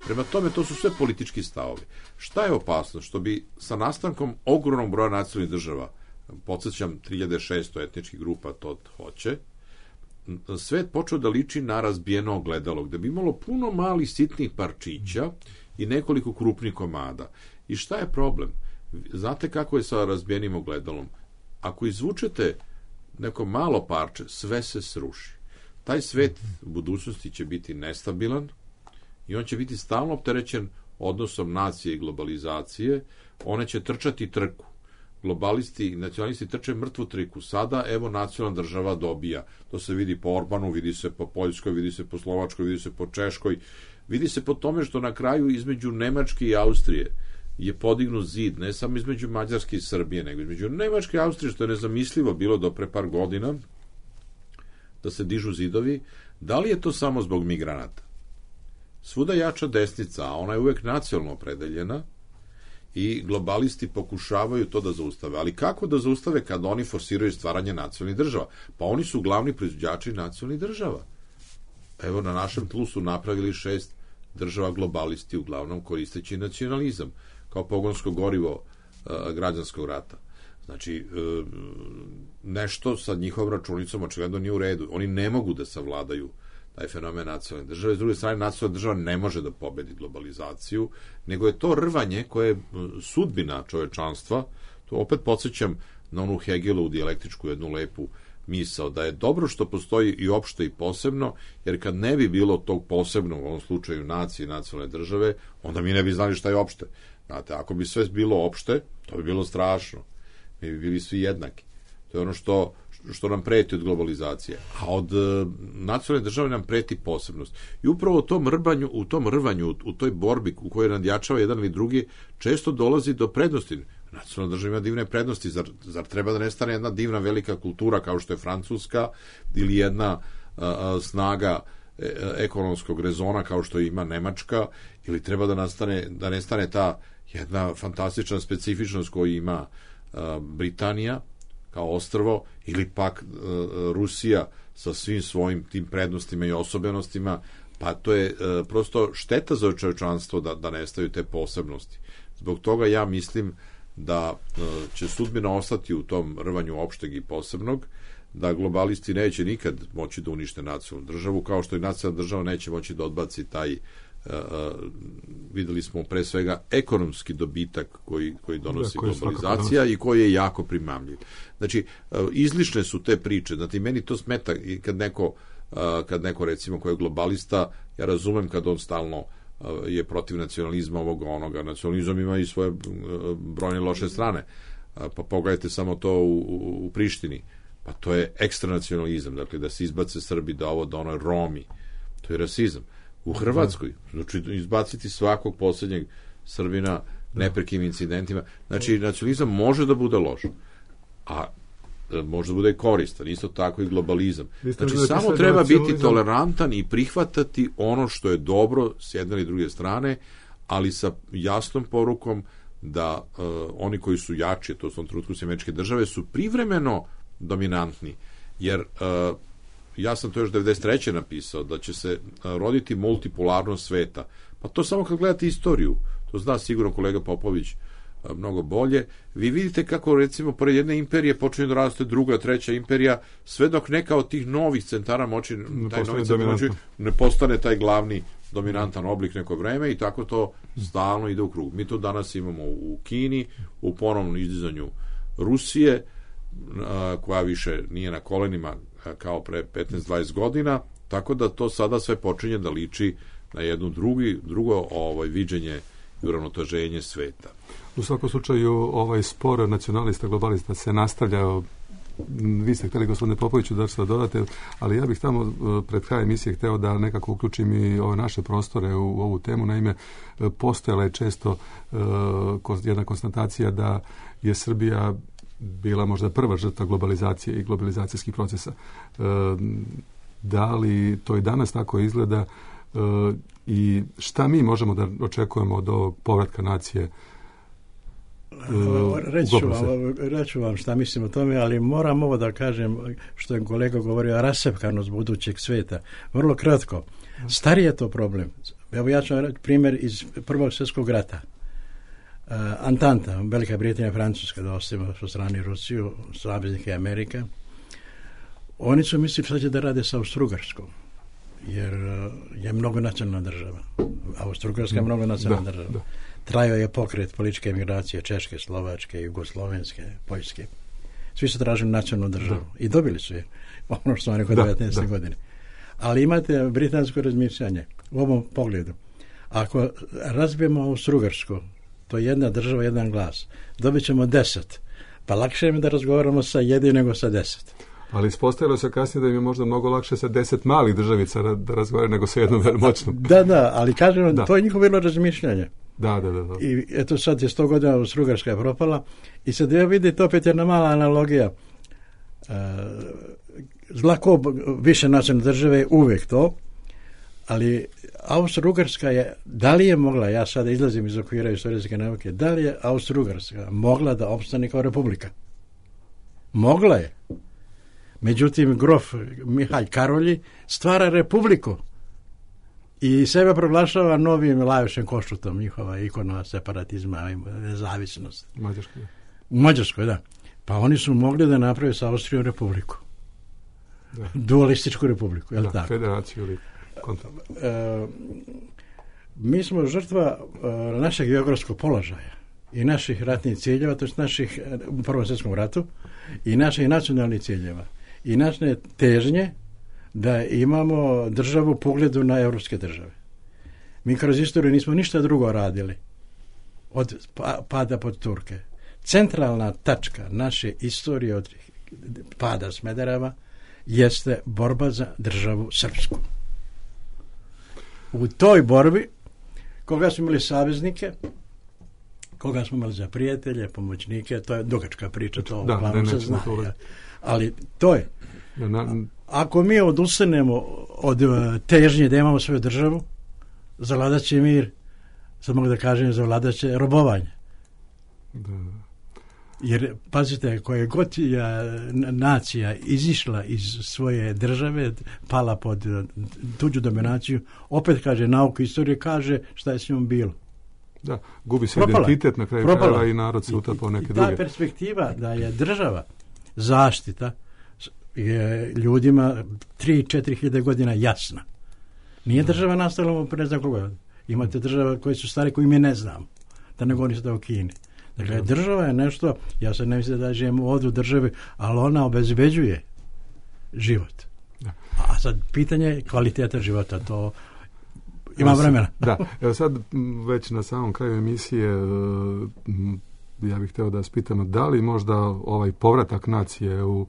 Prema tome, to su sve politički stavovi. Šta je opasno? Što bi sa nastankom ogromnog broja nacionalnih država, podsjećam tri hiljade šesto etničkih grupa to hoće, svet počeo da liči na razbijeno ogledalo, gde bi imalo puno malih sitnih parčića i nekoliko krupnih komada. I šta je problem? Znate kako je sa razbijenim ogledalom? Ako izvučete neko malo parče, sve se sruši. Taj svet u budućnosti će biti nestabilan i on će biti stalno opterećen odnosom nacije i globalizacije. One će trčati trku. Globalisti i nacionalisti trče mrtvu triku. Sada, evo, nacionalna država dobija. To se vidi po Orbanu, vidi se po Poljskoj, vidi se po Slovačkoj, vidi se po Češkoj. Vidi se po tome što na kraju između Nemačke i Austrije je podignut zid, ne samo između Mađarske i Srbije, nego između Nemačke i Austrije, što je nezamislivo bilo do pre par godina, da se dižu zidovi. Da li je to samo zbog migranata? Svuda jača desnica, a ona je uvek nacionalno opredeljena, i globalisti pokušavaju to da zaustave. Ali kako da zaustave kad oni forsiraju stvaranje nacionalnih država? Pa oni su glavni proizvođači nacionalnih država. Evo, na našem tlu su napravili šest država globalisti, uglavnom koristeći nacionalizam kao pogonsko gorivo e, građanskog rata. Znači, e, nešto sa njihovom računicom očigledno nije u redu. Oni ne mogu da savladaju taj fenomen nacionalne države. S druge strane, nacionalna država ne može da pobedi globalizaciju, nego je to rvanje koje je sudbina čovečanstva. To opet podsjećam na onu Hegelovu dijalektičku jednu lepu misao, da je dobro što postoji i opšte i posebno, jer kad ne bi bilo tog posebnog, u ovom slučaju nacije i nacionalne države, onda mi ne bi znali šta je opšte. Znate, ako bi sve bilo opšte, to bi bilo strašno. Mi bi bili svi jednaki. To je ono što što nam preti od globalizacije. A od uh, nacionalne države nam preti posebnost. I upravo u tom rvanju, u tom rvanju, u toj borbi u kojoj nadjačava jedan ili drugi, često dolazi do prednosti. Nacionalna država ima divne prednosti. Zar, zar treba da nestane jedna divna velika kultura kao što je Francuska, ili jedna uh, snaga e, ekonomskog rezona kao što ima Nemačka, ili treba da nastane, da nestane ta jedna fantastična specifičnost koju ima uh, Britanija kao ostrvo, ili pak e, Rusija sa svim svojim tim prednostima i osobenostima, pa to je e, prosto šteta za čovečanstvo da, da nestaju te posebnosti. Zbog toga ja mislim da e, će sudbina ostati u tom rvanju opšteg i posebnog, da globalisti neće nikad moći da unište nacionalnu državu, kao što i nacionalna država neće moći da odbaci taj Uh, videli smo pre svega ekonomski dobitak koji, koji donosi da, koji globalizacija i koji je jako primamljiv. Znači, uh, izlišne su te priče. Znači, meni to smeta i kad neko, uh, kad neko recimo koji je globalista, ja razumem kad on stalno uh, je protiv nacionalizma ovoga onoga. Nacionalizam ima i svoje uh, brojne loše strane. Uh, pa pogledajte samo to u, u, u Prištini. Pa to je ekstranacionalizam. Dakle, da se izbace Srbi, da ovo, da ono Romi. To je rasizam. U Hrvatskoj, znači izbaciti svakog posljednjeg Srbina neprekim incidentima. Znači, nacionalizam može da bude loš, a može da bude koristan, isto tako i globalizam. Znači, samo treba biti tolerantan i prihvatati ono što je dobro s jedne ili druge strane, ali sa jasnom porukom da uh, oni koji su jači, to su u trenutku američke države, su privremeno dominantni, jer uh, ja sam to još devedeset treće napisao, da će se roditi multipolarnost sveta. Pa to samo kad gledate istoriju, to zna sigurno kolega Popović mnogo bolje, vi vidite kako, recimo, pored jedne imperije počinje da raste druga, treća imperija, sve dok neka od tih novih centara moći, ne, taj novi centar moći ne postane taj glavni dominantan oblik neko vreme, i tako to stalno ide u krug. Mi to danas imamo u Kini, u ponovnom izdizanju Rusije, koja više nije na kolenima kao pre petnaest dvadeset godina, tako da to sada sve počinje da liči na jedno drugi, drugo ovaj, viđenje i uravnoteženje sveta. U svakom slučaju, ovaj spor nacionalista, globalista se nastavlja. Vi ste hteli, gospodine Popoviću, da se dodate, ali ja bih tamo pred kraj emisije hteo da nekako uključim i ove naše prostore u, u ovu temu. Naime, postojala je često uh, jedna konstatacija da je Srbija bila možda prva žrtva globalizacije i globalizacijskih procesa. E, da li to i danas tako izgleda e, i šta mi možemo da očekujemo od ovog povratka nacije? E, reću, vam, reću vam šta mislim o tome, ali moram ovo da kažem što je kolega govorio, rasepkanost budućeg sveta. Vrlo kratko. Stari je to problem. Evo ja ću vam reći primjer iz Prvog svjetskog rata. Uh, Antanta, Velika Britanija, Francuska, da ostavimo po strani Rusiju, saveznike Amerika. Oni su mislili šta će da rade sa Austro-Ugarskom, jer je mnogo nacionalna država. Austro-Ugarska je mnogo nacionalna da, država. Da. Trajao je pokret političke emigracije Češke, Slovačke, Jugoslovenske, Poljske. Svi su tražili nacionalnu državu da. I dobili su je, ono što su oni kod devetnaeste godine. Ali imate britansko razmišljanje u ovom pogledu. Ako razbijemo Austro-Ugarsku, to je jedna država, jedan glas, dobit ćemo deset. Pa lakše je da razgovaramo sa jednim nego sa deset. Ali ispostavilo se kasnije da im je možda mnogo lakše sa deset malih državica da razgovaraju nego sa jednom moćnom. Da, da, ali kažem, da. To je njihovo bilo razmišljanje. Da, da, da, da. I eto sad je sto godina Austro-Ugarska je propala i sad ja vidite opet jedna mala analogija. Uh, Zlako više nacionalne države je uvijek to, ali Austro-Ugarska je, da li je mogla, ja sada izlazim iz okvira istorijske nauke, da li je Austro-Ugarska mogla da opstane kao republika? Mogla je. Međutim, grof Mihalj Karolji stvara republiku i sebe proglašava novim Lajošem Košutom, njihova ikona separatizma i nezavisnost. U Mađarskoj. U Mađarskoj, da. Pa oni su mogli da naprave sa Austrijom republiku. Da. Dualističku republiku, je li da, tako? Federaciju ili kontra. E, mi smo žrtva e, našeg geografskog položaja i naših ratnih ciljeva, to je naših u Prvom svjetskom ratu, i naših nacionalnih ciljeva. I naše težnje da imamo državu u pogledu na evropske države. Mi kroz istoriju nismo ništa drugo radili od pada pod Turke. Centralna tačka naše istorije od pada Smedereva jeste borba za državu srpsku. U toj borbi koga smo imali saveznike, koga smo imali za prijatelje, pomoćnike, to je dugačka priča, to da, uglavnom se zna. To ali to je. Na, ako mi odustanemo od težnje da imamo svoju državu, zavladat će mir, sad mogu da kažem, zavladat će robovanje. Da. Jer, pazite, koja god je nacija izišla iz svoje države, pala pod tuđu dominaciju, opet kaže, nauka istorije kaže šta je s njom bilo. Da, gubi se Propala. Identitet na kraju krajeva i narod se utapao neke druge. I ta perspektiva da je država zaštita je ljudima tri do četiri hiljade godina jasna. Nije država nastala pre ne znam koga. Imate država koje su stare koji mi ne znamo. Da ne govorim sada o Kini. Dakle, država je nešto, ja se ne mislim da živimo ovdje u državi, ali ona obezbeđuje život. Da. A sad pitanje je kvaliteta života, to ima vremena. Da, evo sad već na samom kraju emisije ja bih htio da vas pitam, da li možda ovaj povratak nacije u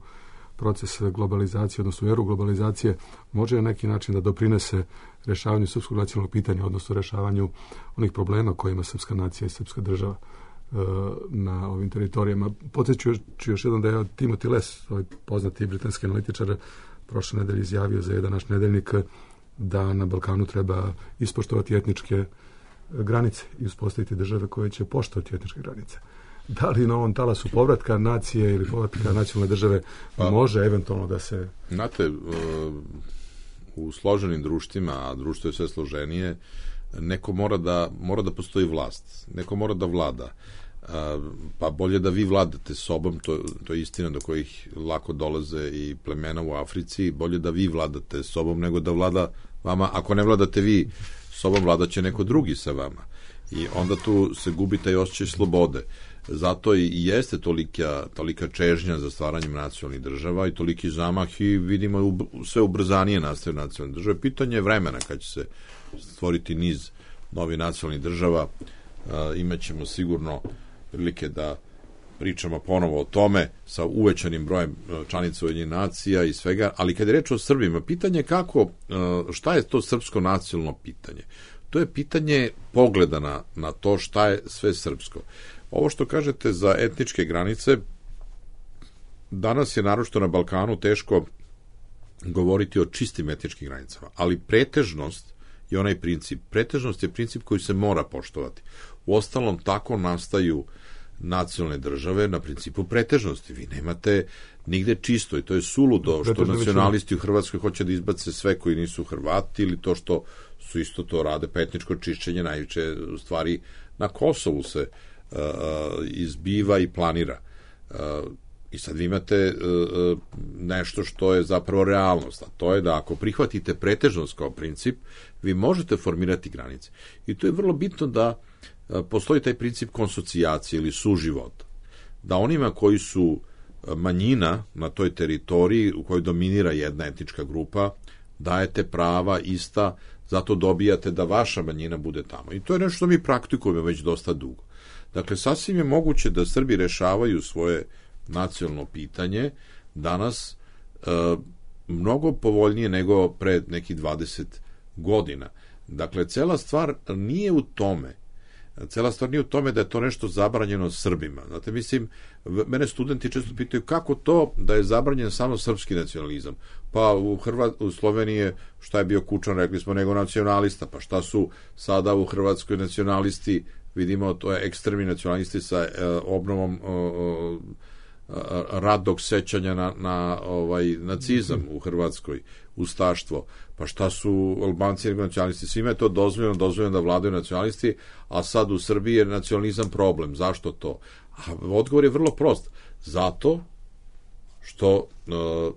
proces globalizacije, odnosno u eru globalizacije, može na neki način da doprinese rješavanju srpskog nacionalnog pitanja, odnosno rješavanju onih problema kojima srpska nacija i srpska država na ovim teritorijama. Podsjeću ću još jednom da je Timothy Les, ovaj poznati britanski analitičar, prošle nedelje izjavio za jedan naš nedeljnik da na Balkanu treba ispoštovati etničke granice i uspostaviti države koje će poštovati etničke granice. Da li na ovom talasu povratka nacije ili povratka nacionalne države pa, može eventualno da se... Znate, u složenim društvima, a društvo je sve složenije, neko mora da, mora da postoji vlast, neko mora da vlada. Pa bolje da vi vladate sobom, to, to je istina do kojih lako dolaze i plemena u Africi, bolje da vi vladate sobom nego da vlada vama. Ako ne vladate vi sobom, vladat će neko drugi sa vama. I onda tu se gubi taj osjećaj slobode. Zato i jeste tolika, tolika čežnja za stvaranjem nacionalnih država i toliki zamah i vidimo sve ubrzanije nastaju nacionalne države. Pitanje je vremena kad će se stvoriti niz novih nacionalnih država. Imaćemo sigurno prilike da pričamo ponovo o tome sa uvećanim brojem članica Ujedinjenih nacija i svega, ali kad je reč o Srbima, pitanje kako, šta je to srpsko nacionalno pitanje? To je pitanje pogleda na, na to šta je sve srpsko. Ovo što kažete za etničke granice, danas je naročito na Balkanu teško govoriti o čistim etničkim granicama, ali pretežnost je onaj princip. Pretežnost je princip koji se mora poštovati. Uostalom, tako nastaju nacionalne države na principu pretežnosti. Vi nemate nigde čisto i to je suludo što nacionalisti u Hrvatskoj hoće da izbace sve koji nisu Hrvati ili to što su isto to rade, pa etničko čišćenje najveće stvari na Kosovu se uh, izbiva i planira. Uh, I sad vi imate uh, nešto što je zapravo realnost, a to je da ako prihvatite pretežnost kao princip, vi možete formirati granice. I to je vrlo bitno da uh, postoji taj princip konsocijacije ili suživota. Da onima koji su manjina na toj teritoriji u kojoj dominira jedna etnička grupa, dajete prava ista, zato dobijate da vaša manjina bude tamo. I to je nešto što mi praktikujemo već dosta dugo. Dakle, sasvim je moguće da Srbi rešavaju svoje nacionalno pitanje danas e, mnogo povoljnije nego pre nekih dvadeset godina. Dakle, cela stvar nije u tome. Cela stvar nije u tome da je to nešto zabranjeno Srbima. Znate, mislim, mene studenti često pitaju kako to da je zabranjen samo srpski nacionalizam. Pa u, Hrva, u Sloveniji šta je bio Kučan, rekli smo, nego nacionalista. Pa šta su sada u Hrvatskoj nacionalisti, vidimo, to je ekstremni nacionalisti sa e, obnovom e, radnog sećanja na, na ovaj nacizam u Hrvatskoj, ustaštvo. Pa šta su Albanci nacionalisti? Svima je to dozvoljeno, dozvoljeno da vladaju nacionalisti, a sad u Srbiji je nacionalizam problem. Zašto to? A odgovor je vrlo prost. Zato što uh,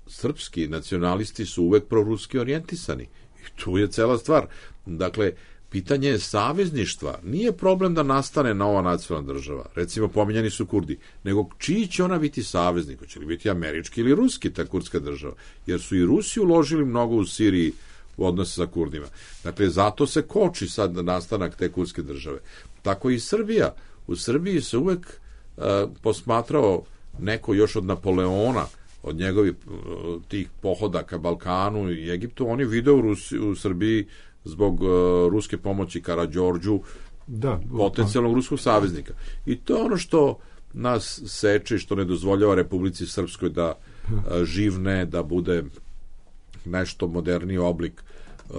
srpski nacionalisti su uvek proruski orijentisani. I tu je cela stvar. Dakle, pitanje je savezništva. Nije problem da nastane nova nacionalna država. Recimo, pominjani su Kurdi. Nego, čiji će ona biti saveznik? Hoće li biti američki ili ruski ta kurdska država? Jer su i Rusi uložili mnogo u Siriji u odnose sa Kurdima. Dakle, zato se koči sad nastanak te kurdske države. Tako i Srbija. U Srbiji se uvek uh, posmatrao neko još od Napoleona, od njegovih uh, tih pohoda ka Balkanu i Egiptu. On je video u, Rusi, u Srbiji zbog uh, ruske pomoći Karađorđu, da, potencijalnog ruskog saveznika. I to je ono što nas seče, što ne dozvoljava Republici Srpskoj da uh, živne, da bude nešto moderniji oblik uh,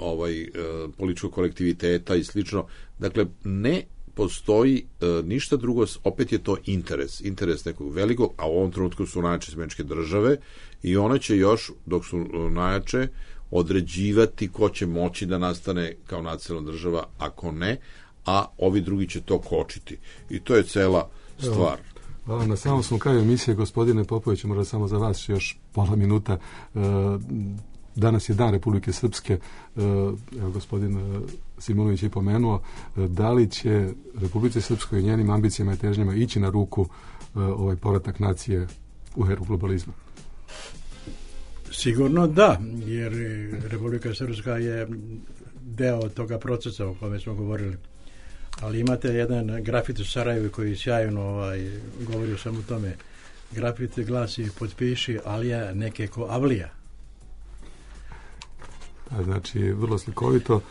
ovaj uh, političkog kolektiviteta i slično. Dakle, ne postoji uh, ništa drugo, opet je to interes, interes nekog velikog, a u ovom trenutku su najjače američke države i one će još, dok su uh, najjače, određivati ko će moći da nastane kao nacionalna država, ako ne, a ovi drugi će to kočiti. I to je cela stvar. Hvala. Na samom smo kraju emisije, gospodine Popović, možda samo za vas još pola minuta. Danas je Dan Republike Srpske. Evo, gospodin Simonović je pomenuo. Da li će Republike Srpskoj i njenim ambicijama i težnjama ići na ruku ovaj povratak nacije u eru globalizma? Sigurno da, jer Republika Srpska je deo toga procesa o kome smo govorili. Ali imate jedan grafit u Sarajevu koji sjajno ovaj, govori samo o tome. Grafit glasi: potpiši Alija neke ko Avlija. A, znači, vrlo slikovito.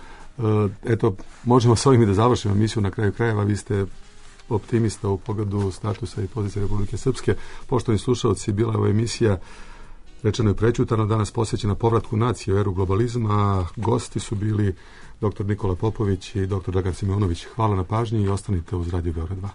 Eto, možemo s ovim i da završimo emisiju. Na kraju krajeva vi ste optimista u pogledu statusa i pozicije Republike Srpske. Poštovani slušalci, bila je ova emisija rečeno je prećutano, danas posvećena povratku nacije u eru globalizma, a gosti su bili doktor Nikola Popović i doktor Dragan Simonović. Hvala na pažnji i ostanite uz Radio Beograd dva.